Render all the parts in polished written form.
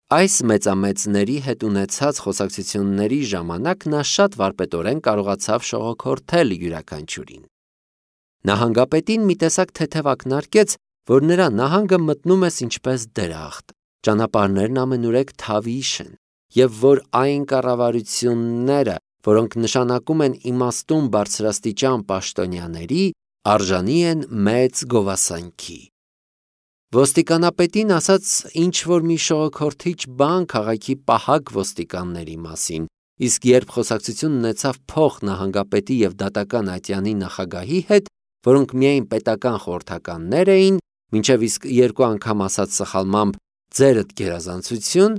Այս մեծամեծների հետ ունեցած խոսակցությունների ժամանակ նա շատ վարպետորեն կարողացավ շողոքորթել յուրաքանչյուրին։ Նահանգապետին մի տեսակ թեթև ակնարկեց, որ նրա նահանգը մտնում ես ինչպես դրախտ, ճանապարհներն ամենուրեք թավիշ են, և որ այն կառավարությունները, որոնք նշանակում են իմաստուն բարձրաստիճան պաշտոնյաների, արժանի են մեծ գովասանքի։ Ոստիկանապետին ասաց ինչ-որ մի շողոքորթիչ բան քաղաքի պահակ ոստիկանների մասին, իսկ երբ խոսակցություն ունեցավ փոխ նահանգապետի և դատական ատյանի նախագահի հետ, որոնք միայն պետական խորհրդականներ էին, մինչև իսկ 2 անգամ ասաց սխալմամբ «ձերդ գերազանցություն»,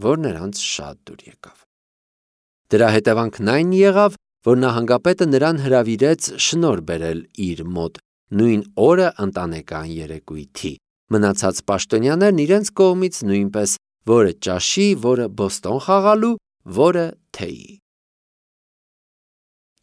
որ նրանց շատ դուր եկավ։ Դրա հետևանքն այն եղավ, որ նահանգապետը նրան հրավիրեց շնորհ բերել իր մոտ նույն օրը ընտանեկան երեկույթի, մնացած պաշտոնյաներն իրենց կողմից նույնպես, որը ճաշի, որը բոստոն խաղալու, որը թեյի։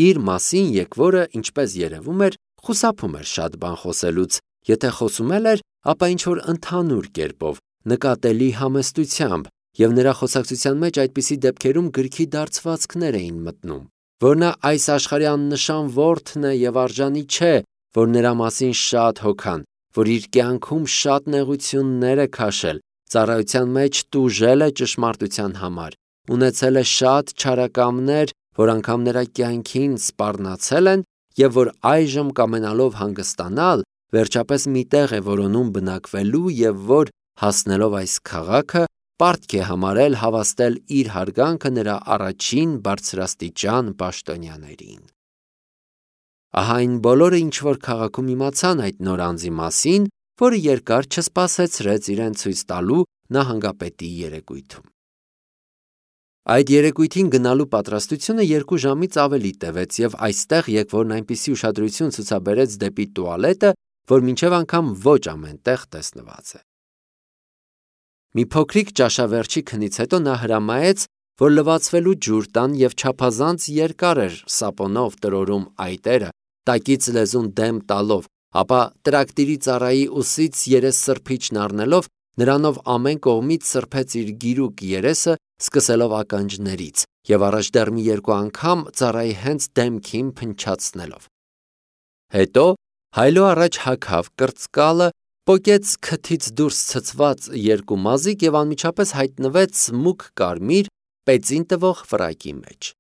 Իր մասին եկվորը, ինչպես երևում էր, խուսափում էր շատ բան խոսելուց, եթե խոսում էր, ապա ինչ-որ ընդհանուր կերպով, նկատելի համեստությամբ, և նրա խոսակցության մեջ այդպիսի դեպքերում գրքի դարձվածքներ էին մտնում, որ նա այս աշխարհի աննշան որդն է և արժանի չէ, որ նրա մասին շատ հոգան, որ իր կյանքում շատ նեղություններ է քաշել, ծառայության մեջ տուժել է ճշմարտության համար, ունեցել է շատ չարակամներ, որ անգամ նրա կյանքին սպառնացել են, և որ այժմ կամենալով հանգստանալ, վերջապես մի տեղ է որոնում բնակվելու և որ, հասնելով այս քաղաքը, պարտք է համարել հավաստել իր հարգանքը նրա առաջին բարձրաստիճան պաշտոնյաներին։ Ահա այն բոլորը, ինչ որ քաղաքում իմացան այդ նոր անձի մասին, որը երկար չսպասեցրեց իրեն ցույց տալու նահանգապետի երեկույթում։ Այդ երեկույթին գնալու պատրաստությունը 2 ժամից ավելի տևեց, և այստեղ եկվորն այնպիսի ուշադրություն ցուցաբերեց դեպի տուալետը, որ մինչև անգամ ոչ ամեն տեղ տեսնված է։ Մի փոքրիկ ճաշավերջի քնից հետո նա հրամայեց, որ լվացվելու ջուր տան և չափազանց երկար էր սապոնով տրորում այտերը, տակից լեզուն դեմ տալով, ապա տրակտիրի ծառայի ուսից երեսսրբիչն առնելով, նրանով ամեն կողմից սրբեց իր գիրուկ երեսը, սկսելով ականջներից, և առաջ դեռ մի 2 անգամ ծառայի հենց դեմքին փնչացնելով։ Հետո հայլո առաջ հագավ կրծկալը, պոկեց քթից դուրս ցցված 2 մազիկ և անմիջապես հայտնվեց մուգ կարմիր, պեծին տվող ֆրակի մեջ։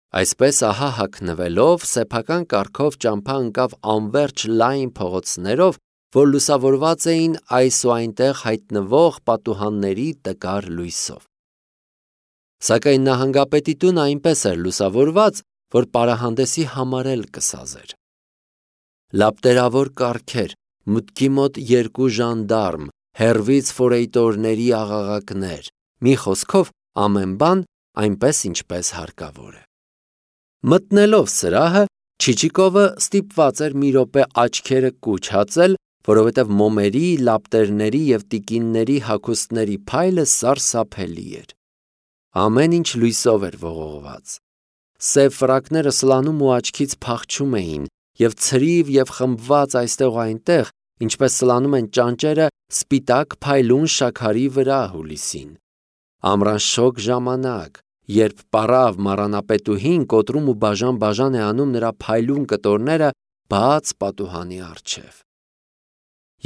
Այսպես ահա հագնվելով, սեփական կարգով ճամփա ընկավ անվերջ լայն փողոցներով, որ լուսավորված էին այս ու այնտեղ հայտնվող պատուհանների տկար լույսով։ Սակայն նահանգապետի տունը այնպես էր լուսավորված, որ պարահանդեսի համար էլ կսազեր։ Լապտերավոր կառքեր, մուտքի մոտ 2 ժանդարմ, հեռվից ֆորեյտորների աղաղակներ, մի խոսքով ամեն բան այնպես, ինչպես հարկավոր է։ Մտնելով սրահը, Չիչիկովը ստիպված էր մի րոպե աչքերը կուչ հացել, որովհետև մոմերի, լապտերների և տիկինների հագուստների փայլը սարսափելի էր։ Ամեն ինչ լույսով էր ողողված։ Սև ֆրակները սլանում ու աչքից փախչում էին, և ցրիվ և խմբված այստեղ ու այնտեղ, ինչպես սլանում են ճանճերը սպիտակ փայլուն շաքարի վրա հուլիսին։ Ամռան շոգ ժամանակ, երբ պառավ մառանապետուհին կոտրում ու բաժան-բաժան է անում նրա փայլուն կտորները բաց պատուհանի առջև։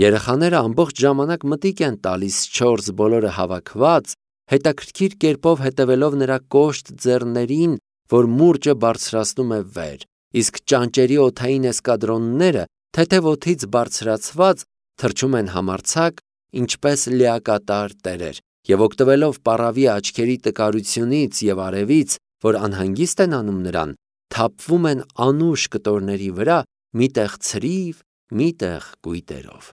Երեխաները ամբողջ ժամանակ մտիկ են տալիս 4 բոլորը հավաքված, հետաքրքիր կերպով հետևելով նրա կոշտ ձեռներին, որ մուրճը բարձրացնում է վեր, իսկ ճանճերի օդային էսկադրոնները, թեթև օդից բարձրացված, թռչում են համարձակ, ինչպես լիակատար տերեր, և օգտվելով պառավի աչքերի տկարությունից և արևից, որ անհանգիստ են անում նրան, թափվում են անուշ կտորների վրա, միտեղ ցրիվ, միտեղ կույտերով։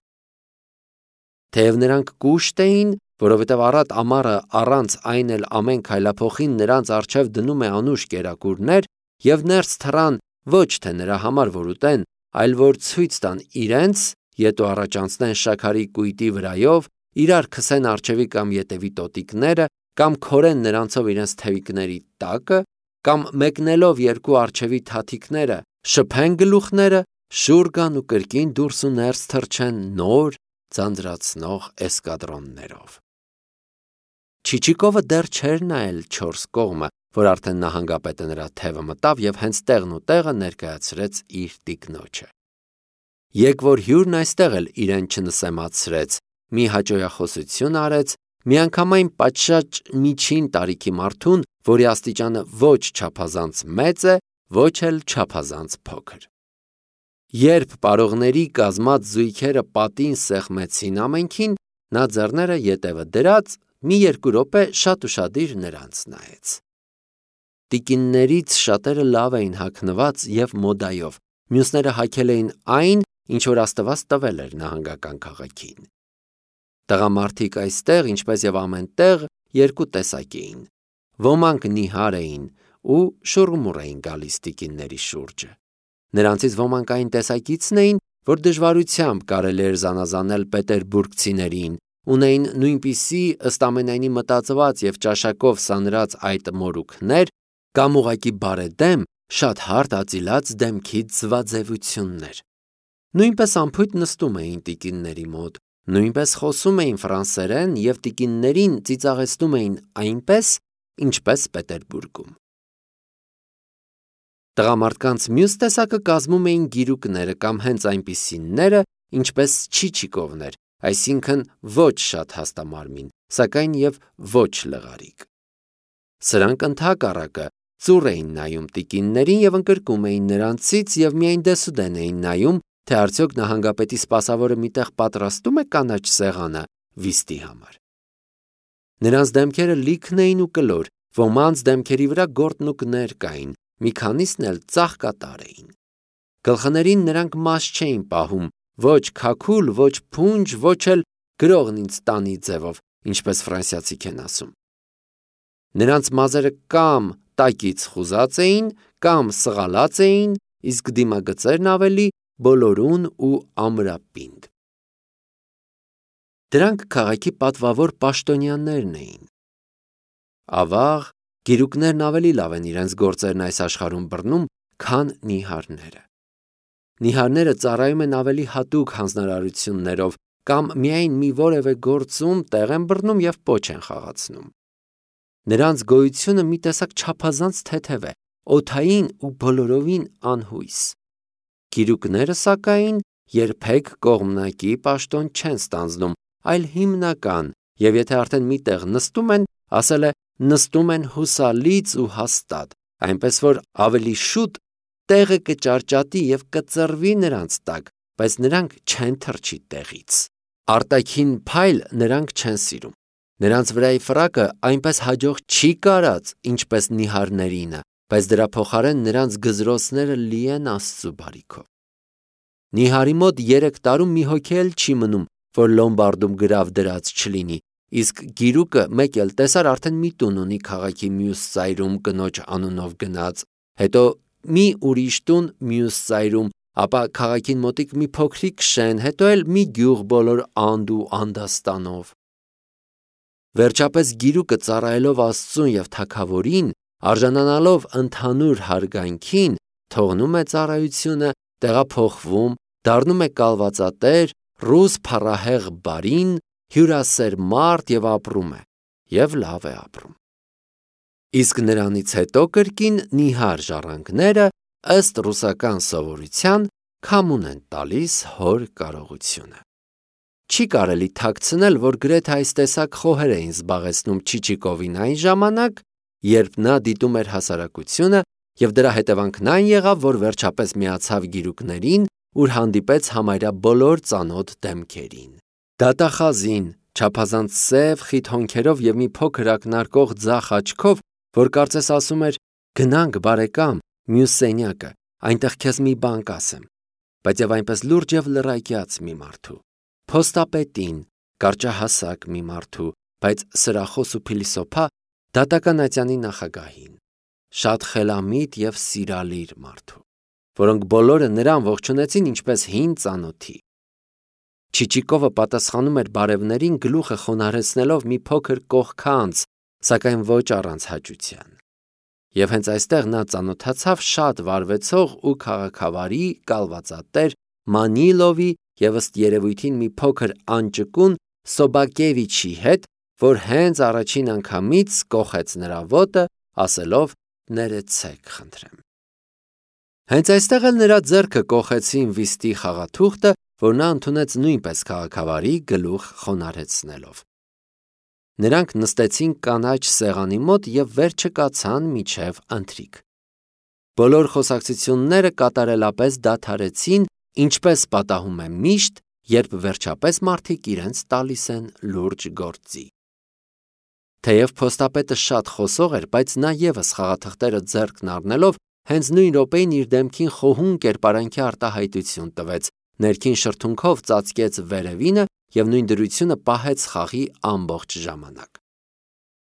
Թեև նրանք կուշտ էին, որովհետև առատ ամառը առանց այն էլ ամեն քայլափոխին նրանց առջև դնում է անուշ կերակուրներ, և ներս թռան ոչ թե նրա համար, որ ուտեն, այլ որ ցույց տան իրենց, ետ ու առաջ անցնեն շաքարի կույտի վրայով, իրար քսեն առջևի կամ ետևի տոտիկները, կամ քորեն նրանցով իրենց թևիկների տակը, կամ մեկնելով 2 առջևի թաթիկները շփեն գլուխները, շուռ գան ու կրկին դուրս ու ներս թռչեն նոր ձանձրացնող էսկադրոններով։ Չիչիկովը դեռ չէր նայել 4 կողմը, որ արդեն նահանգապետը նրա թևը մտավ եւ հենց տեղն ու տեղը ներկայացրեց իր տիկնոջը։ Եկվոր հյուրն այստեղ էլ իրեն չնսեմացրեց, մի հաճոյախոսություն արեց, միանգամայն պատշաճ միջին տարիքի մարդուն, որի աստիճանը ոչ չափազանց մեծ է, ոչ էլ չափազանց փոքր։ Երբ պարողների կազմած զույգերը պատին սեղմեցին ամենքին, նա ձեռները ետևը դրած մի 2 րոպե շատ ուշադիր նրանց նայեց։ Տիկիններից շատերը լավ էին հագնված եւ մոդայով, մյուսները հագել էին այն, ինչ որ Աստված տվել էր նահանգական քաղաքին։ Տղամարդիկ այստեղ, ինչպես եւ ամեն տեղ, 2 տեսակ էին։ Ոմանք նիհար էին ու շուռմուռ էին գալիս տիկինների շուրջը։ Նրանցից ոմանք այն տեսակիցն էին, որ դժվարությամբ կարելի էր զանազանել պետերբուրգցիներին, ունեին նույնպիսի ըստ ամենայնի մտածված եւ ճաշակով սանրած այդ մորուքներ, կամ ուղակի բարեդեմ, շատ հարթ ածիլած դեմքի ձվածևություններ։ Նույնպես անփույթ նստում էին տիկինների մոտ, նույնպես խոսում էին ֆրանսերեն եւ տիկիններին ծիծաղեցնում էին այնպես, ինչպես Պետերբուրգում։ Տղամարդկանց մյուս տեսակը կազմում էին գիրուկները կամ հենց այնպիսիները, ինչպես Չիչիկովներ, այսինքն ոչ շատ հաստամարմին, սակայն եւ ոչ լղարիկ։ Սրանք ընդհակառակը ծուռ էին նայում տիկիններին եւ ընկրկում էին նրանցից եւ միայն դեսուդեն էին նայում, թե արդյոք նահանգապետի սպասավորը միտեղ պատրաստում է կանաչ սեղանը վիստի համար։ Նրանց դեմքերը լիքն էին ու կլոր, ոմանց դեմքերի վրա գորտնուկներ կային, մի քանիսն էլ ծաղկատար էին։ Գլխներին նրանք մաս չէին պահում, ոչ քաքուլ, ոչ փունջ, ոչ էլ գրողն ինձ տանի ձևով, ինչպես ֆրանսիացիք են ասում։ Նրանց մազերը կամ տակից խուզած էին, կամ սղալած էին, իսկ դիմագծերն ավելի բոլորուն ու ամրապինդ։ Դրանք քաղաքի պատվավոր պաշտոնյաներն էին։ Ավաղ, գիրուկներն ավելի լավ են իրենց գործերն այս աշխարհում բռնում, քան նիհարները։ Նիհարները ծառայում են ավելի հատուկ հանձնարարություններով կամ միայն մի որևէ գործում տեղ են բռնում եւ պոչ են խաղացնում։ Նրանց գոյությունը մի տեսակ չափազանց թեթև է, օդային ու բոլորովին անհույս։ Գիրուկները սակայն երբեք կողմնակի պաշտոն չեն ստանձնում, այլ հիմնական, եւ եթե արդեն միտեղ նստում են, ասել է նստում են հուսալից ու հաստատ, այնպես որ ավելի շուտ տեղը կճարճատի եւ կծռվի նրանց տակ, բայց նրանք չեն թռչի տեղից։ Արտաքին փայլ նրանք չեն սիրում։ Նրանց վրայի ֆրակը այնպես հաջող չի կարած, ինչպես նիհարներինը, բայց դրա փոխարեն նրանց գզրոցները լի են Աստծու բարիքով։ Նիհարի մոտ 3 տարում մի հոգի էլ չի մնում, որ լոմբարդում գրավ դրած չլինի, իսկ գիրուկը մեկ էլ տեսար արդեն մի տուն ունի քաղաքի մյուս ծայրում կնոջ անունով գնաց, հետո մի ուրիշ տուն մյուս ծայրում, ապա քաղաքին մոտիկ մի փոքրիկ շեն, հետո էլ մի գյուղ բոլոր անդ ու անդաստանով։ Վերջապես գիրուկը ծառայելով Աստծուն եւ թագավորին, արժանանալով ընդհանուր հարգանքին, թողնում է ծառայությունը, տեղափոխվում, դառնում է կալվածատեր, ռուս փառահեղ բարին, հյուրասեր մարդ եւ ապրում է, եւ լավ է ապրում։ Իսկ նրանից հետո կրկին նիհար ժառանգները ըստ ռուսական սովորության քամուն են տալիս հոր կարողությունը։ Չի կարելի թաքցնել, որ գրեթե այս տեսակ խոհեր էին զբաղեցնում Չիչիկովին այն ժամանակ, երբ նա դիտում էր հասարակությունը, եւ դրա հետևանքն այն եղավ, որ վերջապես միացավ գիրուկներին, ուր հանդիպեց համարյա բոլոր ծանոթ դեմքերին։ Դատախազին, չափազանց սև, խիտ հոնքերով եւ մի փոքր ակնարկող ձախ աչքով, որ կարծես ասում էր. «Գնանք, բարեկամ, մյուս սենյակը, այնտեղ քեզ մի բան կասեմ», բայց եւ այնպես լուրջ եւ լռայկյաց մի մարդու։ Փոստապետին, կարճահասակ մի մարդու, բայց սրախոս ու փիլիսոփա դատական ատյանի նախագահին, շատ խելամիտ եւ սիրալիր մարդու, որոնք բոլորը նրան ողջունեցին ինչպես հին ծանոթի։ Չիչիկովը պատասխանում էր բարևներին գլուխը խոնարհեցնելով մի փոքր կողքանց, սակայն ոչ առանց հաճության։ Եվ հենց այստեղ նա ծանոթացավ շատ վարվեցող ու քաղաքավարի կալվածատեր Մանիլովի եւ ըստ երևույթին մի փոքր անճկուն Սոբակևիչի հետ, որ հենց առաջին անգամից կոխեց նրա ոտը, ասելով. «Ներեցեք, խնդրեմ»։ Հենց այստեղ էլ նրա ձեռքը կոխեցին վիստի խաղաթուղթը, որ նա ընդունեց նույնպես քաղաքավարի գլուխ խոնարհեցնելով։ Նրանք նստեցին կանաչ սեղանի մոտ և վերջը կացան մինչև ընթրիք։ Բոլոր խոսակցությունները կատարելապես դադարեցին, ինչպես պատահում է միշտ, երբ վերջապես մարդիկ իրենց տալիս են լուրջ գործի։ Թեև փոստապետը շատ խոսող էր, բայց նա ևս խաղաթղթերը ձեռքն առնելով հենց նույն րոպեին իր դեմքին խոհուն կերպարանքի արտահայտություն տվեց, ներքին շրթունքով ծածկեց վերևինը և նույն դրությունը պահեց խաղի ամբողջ ժամանակ։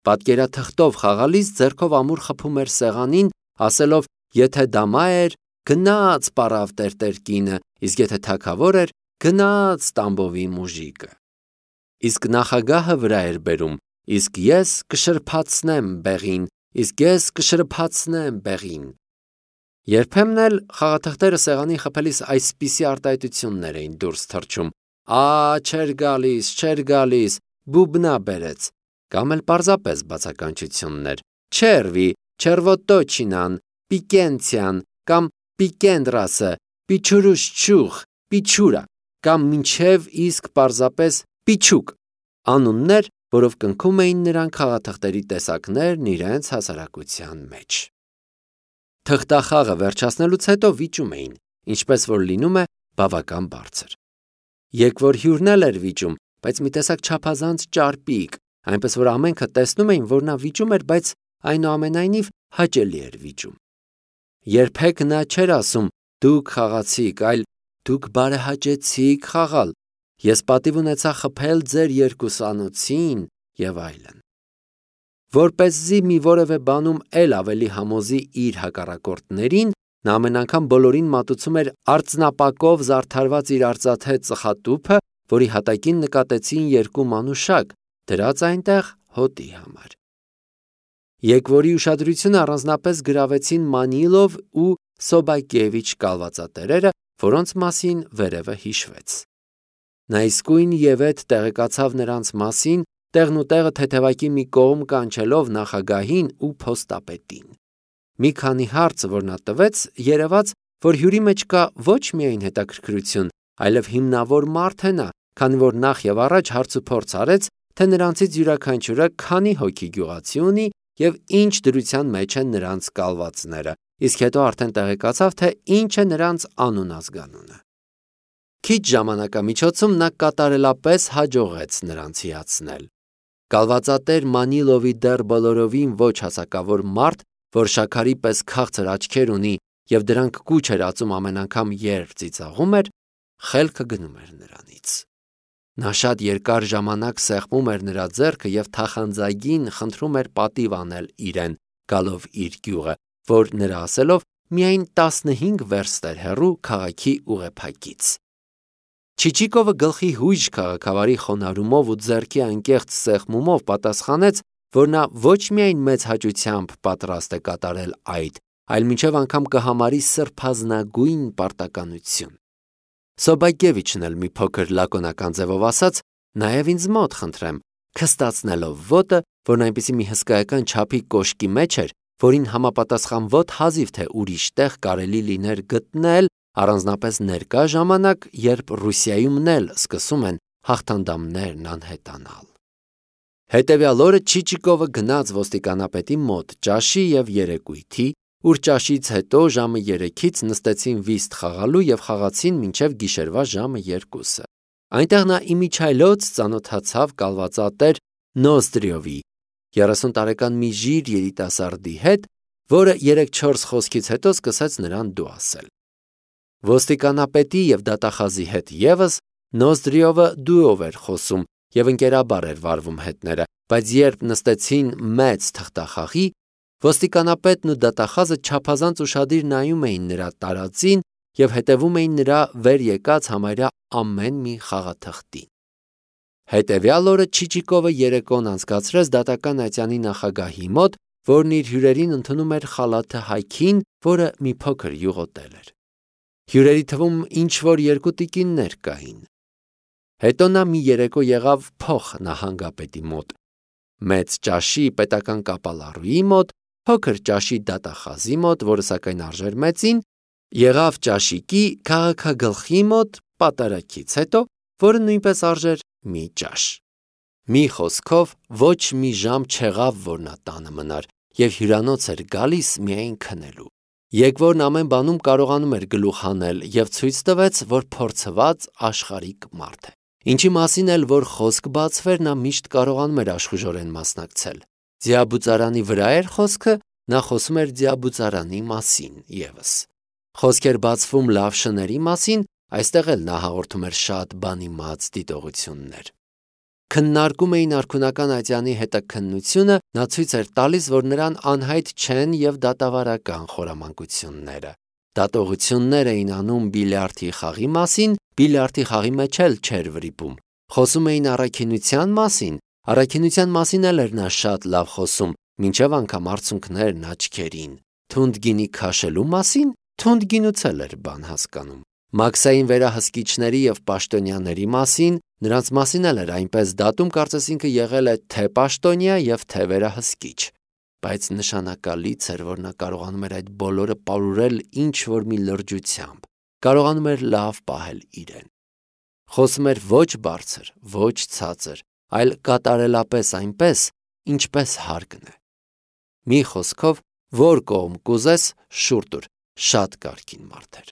Պատկերաթղթով խաղալիս ձեռքով ամուր խփում էր սեղանին, ասելով. «Եթե դամա էր, գնաց պառավ տերտեր կինը, իսկ եթե թագավոր էր, գնաց Տամբովի մուժիկը»։ Իսկ նախագահը վրա էր բերում. «Իսկ ես կշրփացնեմ բեղին, իսկ ես կշրփացնեմ բեղին»։ Երբեմն էլ խաղաթղթերը սեղանին խփելիս այսպիսի արտահայտություններ էին դուրս թռչում. չէր գալիս, բուբնա բերեց, կամ էլ պարզապես բացականչություններ. «Չերվի, չերվոտոչինան, պիկենցյան, կամ պիկենդրասը, պիչուրուշչուղ, պիչուրա, կամ մինչև իսկ պարզապես պիչուկ» անուններ, որով կնքում էին նրանք խաղաթղթերի տեսակներն իրենց հասարակության մեջ։ Թղթախաղը վերջացնելուց հետո վիճում էին, ինչպես որ լինում է, բավական բարձր։ Եկվոր հյուրն էլ էր վիճում, բայց մի տեսակ չափազանց ճարպիկ, այնպես որ ամենքը տեսնում էին, որ նա վիճում էր, բայց այնուամենայնիվ հաճելի էր վիճում։ Երբեք նա չէր ասում. «Դուք խաղացիք», այլ «Դուք բարեհաճեցիք խաղալ, ես պատիվ ունեցա խփել ձեր երկուսանոցին» և այլն։ Որպեսզի մի որևէ բանում էլ ավելի համոզի իր հակառակորդներին, նա ամեն անգամ բոլորին մատուցում էր արծնապակով զարդարված իր արծաթե ծխատուփը, որի հատակին նկատեցին երկու մանուշակ, դրած այնտեղ հոտի համար։ Եկվորի ուշադրությունը առանձնապես գրավեցին Մանիլով ու Սոբակևիչ կալվածատերերը, որոնց մասին վերևը հիշվեց։ Նա իսկույն ևեթ տեղեկացավ նրանց մասին, տեղն ու տեղը թեթևակի մի կողմ կանչելով նախագահին ու փոստապետին։ Մի քանի հարց, որ նա տվեց, երևաց, որ հյուրի մեջ կա ոչ միայն հետաքրքրություն, այլև հիմնավոր մարդ է նա, քանի որ նախ եւ առաջ հարցուփորձ արեց, թե նրանցից յուրաքանչյուրը քանի հոգի գյուղացի ունի և ինչ դրության մեջ են նրանց կալվածները, իսկ հետո արդեն տեղեկացավ, թե ինչ է նրանց անուն-ազգանունը։ Քիչ ժամանակամիջոցում նա կատարելապես հաջողեց նրանց հիացնել։ Կալվածատեր Մանիլովի դեռ բոլորովին ոչ հասակավոր մարդ, որ շաքարի պես քաղցր աչքեր ունի և դրանք կուչ էր ածում ամեն անգամ, երբ ծիծաղում էր, խելքը գնում էր նրանից։ Նա շատ երկար ժամանակ սեղմում էր նրա ձեռքը և թախանձագին խնդրում էր պատիվ անել իրեն, գալով իր գյուղը, որ նրա ասելով միայն 15 վերստ էր հեռու քաղաքի ուղեփակից։ Չիչիկովը գլխի հույժ քաղաքավարի խոնարհումով ու ձեռքի անկեղծ սեղմումով պատասխանեց, որ նա ոչ միայն մեծ հաճությամբ պատրաստ է կատարել այդ, այլ մինչև անգամ կհամարի սրբազնագույն պարտականություն։ Սոբակևիչն էլ մի փոքր լակոնական ձևով ասաց. «Նաև ինձ մոտ խնդրեմ», քստացնելով ոտը, որն այնպիսի մի հսկայական չափի կոշկի մեջ էր, որին համապատասխան ոտ հազիվ թե ուրիշ տեղ կարելի լիներ գտնել, առանձնապես ներկա ժամանակ, երբ Ռուսիայումն էլ սկսում են հաղթանդամներն անհետանալ։ Հետևյալ օրը Չիչիկովը գնաց ոստիկանապետի մոտ ճաշի և երեկույթի, ուր ճաշից հետո ժամը 3-ից նստեցին վիստ խաղալու և խաղացին մինչև գիշերվա ժամը 2-ը։ Այնտեղ նա իմիջիայլոց ծանոթացավ կալվածատեր Նոզդրիովի, 30 տարեկան մի ժիր երիտասարդի հետ, որը 3-4 խոսքից հետո սկսեց նրան դու ասել։ Ոստիկանապետի և դատախազի հետ ևս Նոզդրիովը դուով էր խոսում և ընկերաբար էր վարվում հետները, բայց երբ նստեցին մեծ թղթախաղի, ոստիկանապետն ու դատախազը չափազանց ուշադիր նայում էին նրա տարածին և հետևում էին նրա վեր եկած համարյա ամեն մի խաղաթղթին։ Հետևյալ օրը Չիչիկովը երեկոն անցկացրեց դատական ատյանի նախագահի մոտ, որն իր հյուրերին ընդունում էր խալաթը հայքին, որը մի փոքր յուղոտել էր։ Հյուրերի թվում ինչ-որ 2 տիկիններ կային։ Հետո նա մի երեկո եղավ փոխ նահանգապետի մոտ, մեծ ճաշի պետական կապալառուի մոտ, փոքր ճաշի դատախազի մոտ, որը սակայն արժեր մեծին, եղավ ճաշիկի քաղաքագլխի մոտ պատարագից հետո, որը նույնպես արժեր մի ճաշ։ Մի խոսքով ոչ մի ժամ չեղավ, որ նա տանը մնար և հյուրանոց էր գալիս միայն քնելու։ Եկվորն ամեն բանում կարողանում էր գլուխ հանել և ցույց տվեց, որ փորձված աշխարհիկ մարդ է։ Ինչի մասին էլ որ խոսք բացվեր, նա միշտ կարողանում էր աշխուժորեն մասնակցել։ Ձիաբուծարանի վրա էր խոսքը, նա խոսում էր ձիաբուծարանի մասին ևս։ Խոսք էր բացվում լավ շների մասին, այստեղ էլ նա հաղորդում էր շատ բանիմաց դիտողություններ։ Քննարկում էին արքունական ատյանի հետաքննությունը, նա ցույց էր տալիս, որ նրան անհայտ չեն և դատավարական խորամանկությունները։ Դատողություններ էին անում բիլիարդի խաղի մասին, բիլիարդի խաղի մեջ էլ չէր վրիպում։ Խոսում էին առաքինության մասին էլ էր նա շատ լավ խոսում, մինչև անգամ արցունքներն աչքերին։ Թունդ գինի քաշելու մասին, թունդ գինուց էլ էր բան հասկանում։ Մաքսային վերահսկիչների և պաշտոնյաների մասին, նրանց մասին էլ էր այնպես դատում, կարծես ինքը եղել է թե պաշտոնյա և թե վերահսկիչ։ Բայց նշանակալից էր, որ նա կարողանում էր այդ բոլորը պարուրել ինչ-որ մի լրջությամբ, կարողանում էր լավ պահել իրեն։ Խոսում էր ոչ բարձր, ոչ ցածր, այլ կատարելապես այնպես, ինչպես հարկն է։ Մի խոսքով, որ կողմ կուզես, շուռ տուր, շատ կարգին մարդ էր։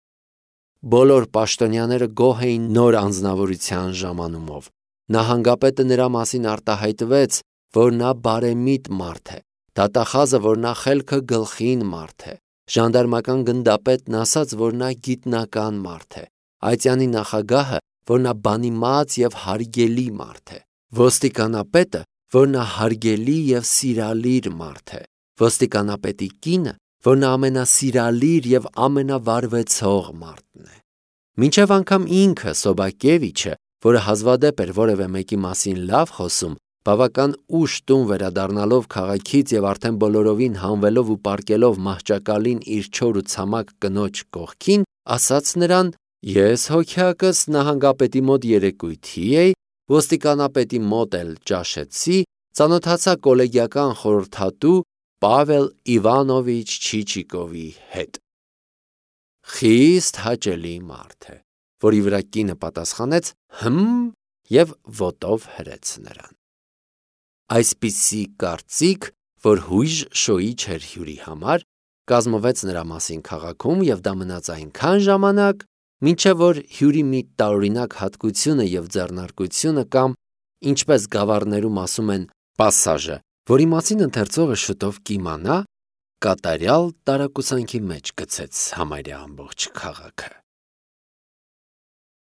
Բոլոր պաշտոնյաները գոհ էին նոր անձնավորության ժամանումով։ Նահանգապետը նրա մասին արտահայտվեց, որ նա բարեմիտ մարդ է, դատախազը, որ նա խելքը գլխին մարդ է, ժանդարմական գնդապետն ասաց, որ նա գիտնական մարդ է, ատյանի նախագահը, որ նա բանիմաց և հարգելի մարդ է, ոստիկանապետը, որ նա հարգելի և սիրալիր մարդ է, ոստիկանապետի կինը, որ նա ամենասիրալիր և ամենավարվեցող մարդն է։ Մինչև անգամ ինքը Սոբակևիչը, որը հազվադեպ էր որևէ մեկի մասին լավ խոսում, բավական ուշ տուն վերադառնալով քաղաքից և արդեն բոլորովին հանվելով ու պառկելով մահճակալին իր չոր ու ցամաք կնոջ կողքին, ասաց նրան. «Ես հոգյակս նահանգապետի մոտ երեկույթի էի, ոստիկանապետի մոտ էլ ճաշեցի, ծանոթացա կոլեգիական խորհրդատու Պավել Իվանովիչ Չիչիկովի հետ»։ Խիստ հաճելի մարդ է, որի վրա կինը պատասխանեց և ոտով հրեց նրան։ Այսպիսի կարծիք, որ հույժ շոյիչ էր հյուրի համար, կազմվեց նրա մասին քաղաքում և դա մնաց այնքան ժամանակ, մինչև որ հյուրի մի տարօրինակ հատկությունը և ձեռնարկությունը կամ, ինչպես գավառներում ասում են, պասաժը, որի մասին ընթերցողը շուտով կիմանա, կատարյալ տարակուսանքի մեջ գցեց համարյա ամբողջ քաղաքը։